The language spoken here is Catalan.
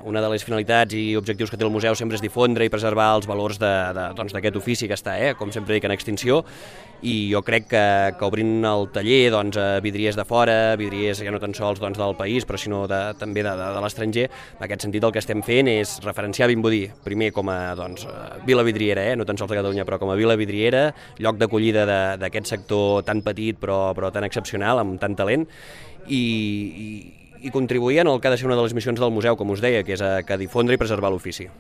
una de les finalitats i objectius que té el museu sempre és difondre i preservar els valors d'aquest ofici que està, com sempre dic, en extinció, i jo crec que obrint el taller vidriers de fora, vidriers ja no tan sols del país, però sinó també de l'estranger, en aquest sentit el que estem fent és referenciar Vimbodí, primer com a vila vidriera, no tan sols de Catalunya, però com a vila vidriera, lloc d'acollida d'aquest sector tan petit però tan excepcional, amb tant talent, i contribuir en el que ha de ser una de les missions del museu, com us deia, que és que difondre i preservar l'ofici.